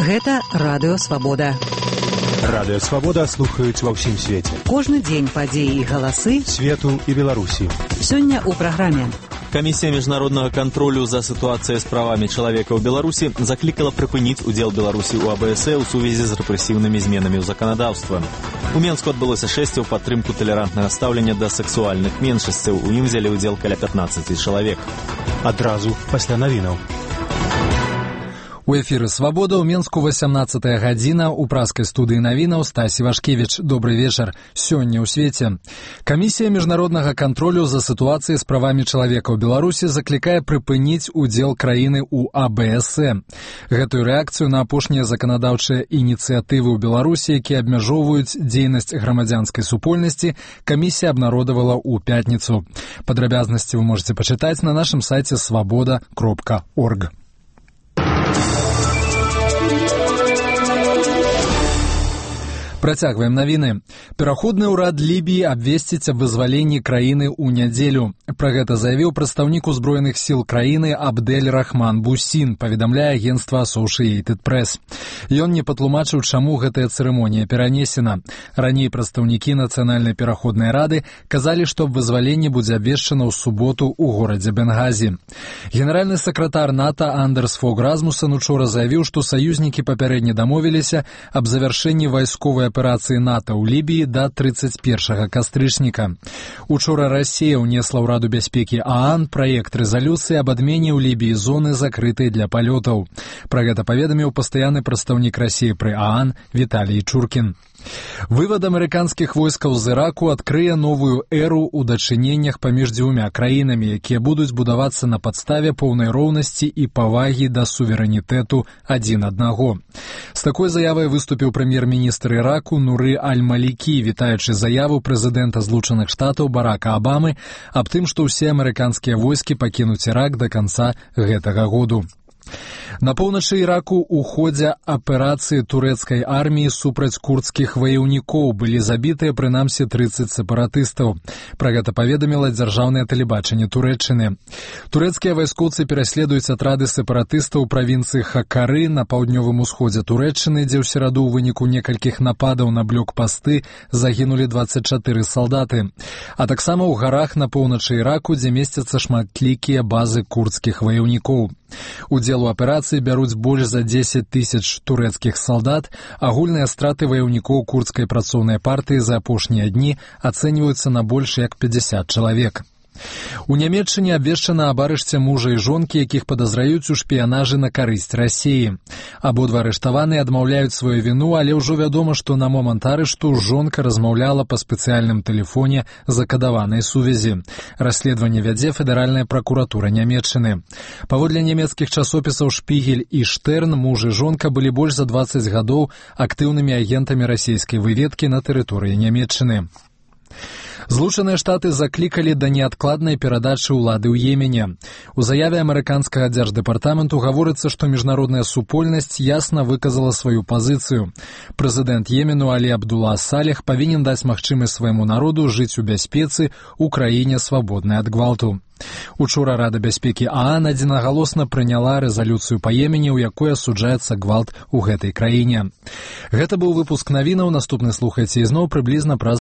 Гэта Радыё Свабода. Радыё Свабода слухаюць ва ўсім свеце. Кожны дзень падзеі і галасы свету і Беларусі. Сёння ў праграме. Камісія міжнароднага кантролю за сітуацыяй з правамі чалавека ў Беларусі заклікала прыпыніць удзел Беларусі ў АБС ў сувязі з рэпрэсіўнымі зменамі ў заканадаўства. У Менску адбылося шэсце ў падтрымку талерантнага стаўлення да сексуальных меншасцяў. У ім взялі ўдзел каля 15 чалавек. Адразу пасля навінаў. У эфіры «Свабода» ў Менску 18-я гадзіна. У праскай студыі навінаў Стасі Вашкевіч. Добры вечар. Сёння ў свеце. Камісія міжнароднага кантролю за сітуацыяй з правамі чалавека ў Беларусі заклікае прыпыніць удзел краіны ў АБС. Гэтую рэакцыю на апошнія заканадаўчыя ініцыятывы ў Беларусі, якія абмяжоўваюць дзейнасць грамадзянскай супольнасці, камісія абнародавала ў пятніцу. Падрабязнасці вы можете пачытаць на нашым сайце svoboda.org. Працягваем навіны. Пераходны ўрад Лібіі абвесціць аб вызваленні краіны ў нядзелю. Пра гэта заявіў прадстаўнік узброеных сіл краіны Абдель Рахман Бусін, паведамляе агенцтва Associated Press. Ён не патлумачыў, чаму гэтая цырымонія перанесена. Раней прадстаўнікі Нацыянальнай пераходнай рады казалі, што аб вызваленні будзе абвешчана ў суботу ў горадзе Бенгазі. Генеральны сакратар НАТО Андерс Фог Расмуссен учора заявіў, што саюзнікі папярэдне дамовіліся аб завяршэнні вайсковай аперацыі НАТО ў Лібіі да 31 кастрычніка. Учора Расія ўнесла ў Раду бяспекі ААН праект рэзалюцыі аб адмене ў Лібіі зоны, закрытай для палётаў. Пра гэта паведаміў пастаянны прадстаўнік Расіі пры ААН Віталій Чуркін. Вывад амерыканскіх войскаў з Іраку адкрые новую эру ў дачыненнях паміж дзвюма краінамі, якія будуць будавацца на падставе поўнай роўнасці і павагі да суверэнітэту адзін аднаго. З такой заявай выступіў прэм'ер-міністр Іраку Нуры Аль-Малікі, вітаючы заяву прэзідэнта Злучаных Штатаў Барака Абамы аб тым, што ўсе амерыканскія войскі пакінуць Ірак да канца гэтага году. На поўначы Іраку ў ходзе аперацыі турэцкай арміі супраць курдскіх ваяўнікоў былі забітыя прынамсі 30 сепаратыстаў. Пра гэта паведаміла дзяржаўнае тэлебачанне Турэччыны. Турэцкія вайскоўцы пераследуюць атрады сепаратыстаў у правінцыі Хакары на паўднёвым усходзе Турэччыны, дзе ў сераду ў выніку некалькіх нападаў на блокпасты загінулі 24 салдаты. А таксама ў гарах на поўначы Іраку, дзе месцяцца шматлікія базы курдскіх ваяўнікоў. Удзел у аперацыі бяруць больш за 10 тысяч турэцкіх салдат. Агульныя страты ваяўнікоў курдскай працоўнай партыі за апошнія дні ацэньваюцца на больш як 50 чалавек. У Нямецчыне абвешчана аб арышце мужа і жонкі, якіх падазраюць у шпіянажы на карысць Расіі. Абодва арыштаваныя адмаўляюць сваю віну, але ўжо вядома, што на момант арышту жонка размаўляла па спецыяльным тэлефоне закадаванай сувязі. Расследаванне вядзе федэральная пракуратура Нямецчыны. Паводле нямецкіх часопісаў «Шпігель» і «Штерн», муж і жонка былі больш за 20 гадоў актыўнымі агентамі расійскай выведкі на тэрыторыі Нямецчыны. Злучаныя Штаты заклікалі да неадкладнай перадачы ўлады ў Йемене. У заяве амерыканскага дзярждэпартаменту гаворыцца, што міжнародная супольнасць ясна выказала сваю пазіцыю. Прэзідэнт Йемену Алі Абдулла Салех павінен даць магчымасць свайму народу жыць у бяспецы ў краіне свабоднай ад гвалту. Учора Рада бяспекі ААН адзінагалосна прыняла рэзалюцыю па Йемене, у якой асуджаецца гвалт у гэтай краіне. Гэта быў выпуск навінаў. Наступны слухайце ізноў прыблізна праз